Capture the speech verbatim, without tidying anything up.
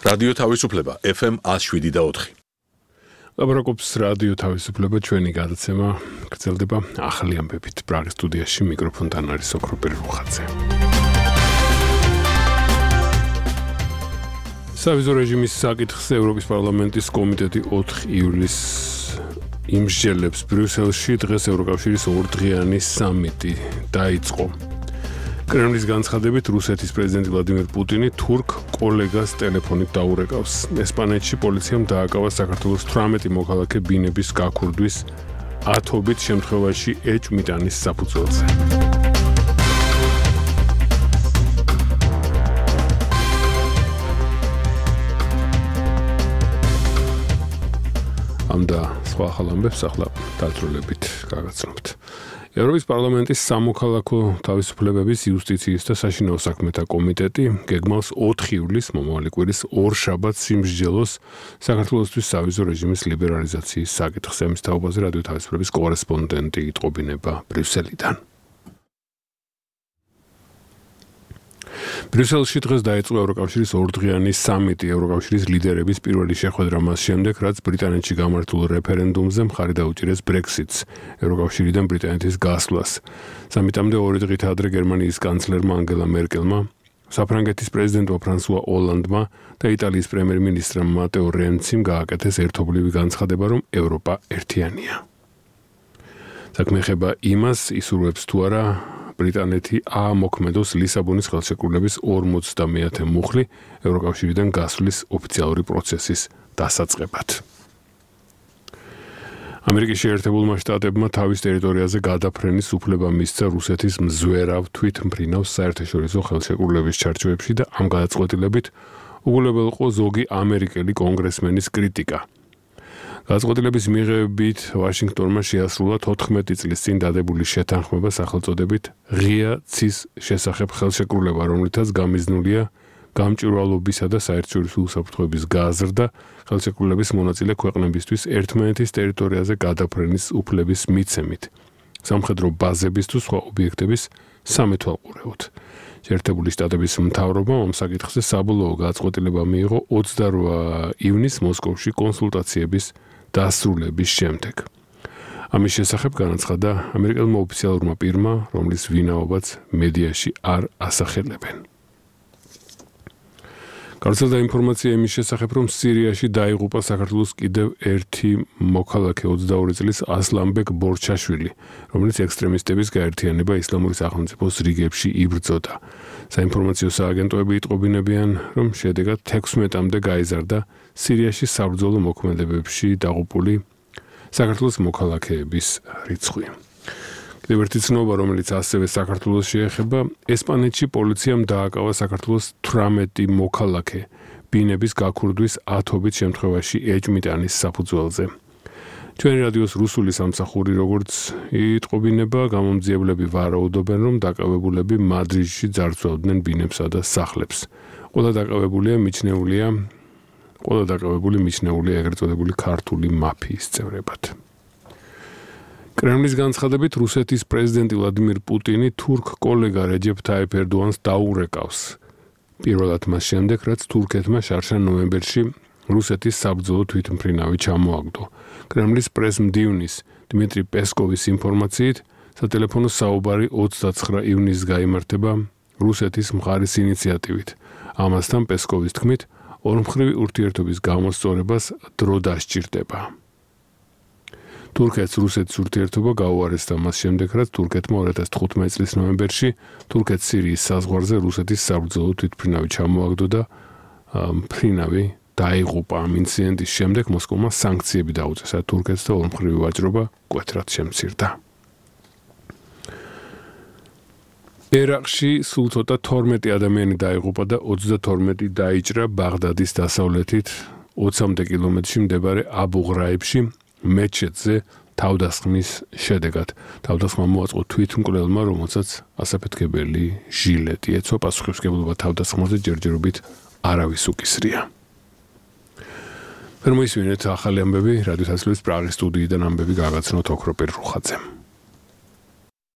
რადიო თავისუფლება ეფ ემ one oh seven და four. ლაბრაკობს რადიო თავისუფლება ჩვენი გადაცემა გრძელდება ახალი ამბებით. პრაღის სტუდიაში მიკროფონთან არის ოქროპირი რუხაძე. სავიზო რეჟიმის საკითხზე ევროპის პარლამენტის კომიტეტი ოთხ ივლისს იმსჯელებს ბრიუსელში. დღეს ევროკავშირის ორდღიანი სამიტი დაიწყო. კრემლის განცხადებით რუსეთის პრეზიდენტი ვლადიმერ პუტინი თურქ კოლეგას ტელეფონით დაურეკავს. ესპანეთში პოლიციამ დააკავა საქართველოს თვრამეტი მოქალაქე ბინების გაქურდვის ათობით შემთხვევაში ეჭვმიტანის საფუძველზე. ამ და სხვა ახალ ამბებს ახლა დაწვრილებით გაგაცნობთ. ევროპის პარლამენტის სამოქალაქო თავისუფლებების, იუსტიციის და საშინაო საქმეთა კომიტეტი გეგმავს ოთხ ივლისს მომავალი კვირის ორშაბათს იმსჯელოს საქართველოსთვის სავიზო რეჟიმის ლიბერალიზაციის საკითხზე. ამის თაობაზე რადიო თავისუფლების კორესპონდენტი იტყობინება ბრიუსელიდან. ბრიუსელში დღეს დაიწყო ევროკავშირის ორდღიანი სამიტი. ევროკავშირის ლიდერების პირველი შეხვედრა მას შემდეგ, რაც ბრიტანეთში გამართულ რეფერენდუმზე მხარი დაუჭირეს ბრექსიტს, ევროკავშირიდან ბრიტანეთის გასვლას. სამიტამდე ორი დღით ადრე გერმანიის კანცლერმა ანგელა მერკელმა, საფრანგეთის პრეზიდენტმა ფრანსუა ოლანდმა და იტალიის პრემიერ-მინისტრმა მატეო რენციმ გააკეთეს ერთობლივი განცხადება, რომ ევროპა ერთიანია. საქმე ეხება იმას, ისურვებს თუ არა ბრიტანეთი აამოქმედოს ლისაბონის ხელშეკრულების ორმოცდამეათე მუხლი ევროკავშირიდან გასვლის ოფიციალური პროცესის დასაწყებად. ამერიკის შეერთებულმა შტატებმა თავის ტერიტორიაზე გადაფრენის უფლება მისცა რუსეთის მზვერავ თვითმფრინავს საერთაშორისო ხელშეკრულების ჩარჩოებში და ამ გადაწყვეტილებით უგულებელყო ზოგი ამერიკელი კონგრესმენის კრიტიკა. გადაწყვეტილების მიღებით ვაშინგტონმა შეასრულა თოთხმეტი წლის წინ დადებული შეთანხმება სახელწოდებით ღია ცის შესახებ ხელშეკრულება, რომლითაც გამიზნულია გამჭვირვალობისა და საერთაშორისო უსაფრთხოების გაზრდა ხელშეკრულების მონაწილე ქვეყნებისთვის ერთმანეთის ტერიტორიაზე გადაფრენის უფლების მიცემით, სამხედრო ბაზების თუ სხვა ობიექტების სამეთვალყურეოდ. შეერთებული შტატების მთავრობამ ამ საკითხზე საბოლოო გადაწყვეტილება მიიღო ოცდაორი ივნისს მოსკოვში კონსულტაციების დასრულების შემდეგ. ამის შესახებ განაცხადა ამერიკელმა ოფიციალურმა პირმა, რომლის ვინაობაც მედიაში არ ასახელებენ. გავრცელდა ინფორმაცია იმის შესახებ, რომ სირიაში დაიღუპა საქართველოს კიდევ ერთი მოქალაქე ოცდაორი წლის ასლანბეკ ბორჩაშვილი, რომელიც ექსტრემისტების გაერთიანება ისლამური სახელმწიფოს რიგებში იბრძოდა. საინფორმაციო სააგენტოები იტყობინებიან, რომ შედეგად თექვსმეტამდე გაიზარდა სირიაში საბრძოლო მოქმედებებში დაღუპული საქართველოს მოქალაქეების რიცხვი. კიდევ ერთი ცნობა, რომელიც ასევე საქართველოს შეეხება, ესპანეთში პოლიციამ დააკავა საქართველოს თვრამეტი მოქალაქე ბინების გაქურდვის ათობით შემთხვევაში ეჭვმიტანის საფუძველზე. ჩვენი რადიოს რუსული სამსახური, როგორც იტყობინება, გამომძიებლები ვარაუდობენ, რომ დაკავებულები მადრიდში ძარცვავდნენ ბინებსა და სახლებს. ყველა დაკავებულია მიჩნეულია, ყველა დაკავებული მიჩნეულია ეგრეთ წოდებული ქართული მაფიის წევრებად. კრემლის განცხადებით რუსეთის პრეზიდენტი ვლადიმერ პუტინი თურქ კოლეგა რეჯეფ თაიფ ერდოანს დაურეკავს. პირველად მას შემდეგ, რაც თურქეთმა შარშან ნოემბერში რუსეთის საბრძოლო თვითმფრინავი ჩამოაგდო. კრემლის პრესმდივნის დიმიტრი პესკოვის ინფორმაციით, სატელეფონო საუბარი ოცდაცხრა ივნისს გაიმართება რუსეთის მხარის ინიციატივით. ამასთან პესკოვის თქმით, ორმხრივი ურთიერთობის გამოსწორებას დრო დასჭირდება. თურქეთს რუსეთის ურთიერთობა გაუარესდა მას შემდეგ, რაც თურქეთმა ორი ათას თხუთმეტი წლის ნოემბერში თურქეთ-სირიის საზღვარზე რუსეთის საბრძოლო თვითმფრინავი ჩამოაგდო და მფრინავი დაიღუპა. ამ ინციდენტის შემდეგ მოსკოვმა სანქციები დაუწესა თურქეთს და ორმხრივი ვაჭრობა მკვეთრად შემცირდა. ერაყში სულ ცოტა თორმეტი ადამიანი დაიღუპა და ოცდათორმეტი დაიჭრა ბაღდადის დასავლეთით ოცამდე კილომეტრში მდებარე აბუ-ღრაიბში მეჩეთზე თავდასხმის შედეგად. თავდასხმა მოაწყო თვითმკვლელმა, რომელსაც ასაფეთქებელი ჟილეტი ეცვა. პასუხისმგებლობა თავდასხმაზე ჯერჯერობით არავის უკისრია. ვერ მოისმინეთ ახალი ამბები, რადიო თავისუფლების პრაღის სტუდიიდან ამბები გაგაცნოთ ოქროპირი რუხაძემ.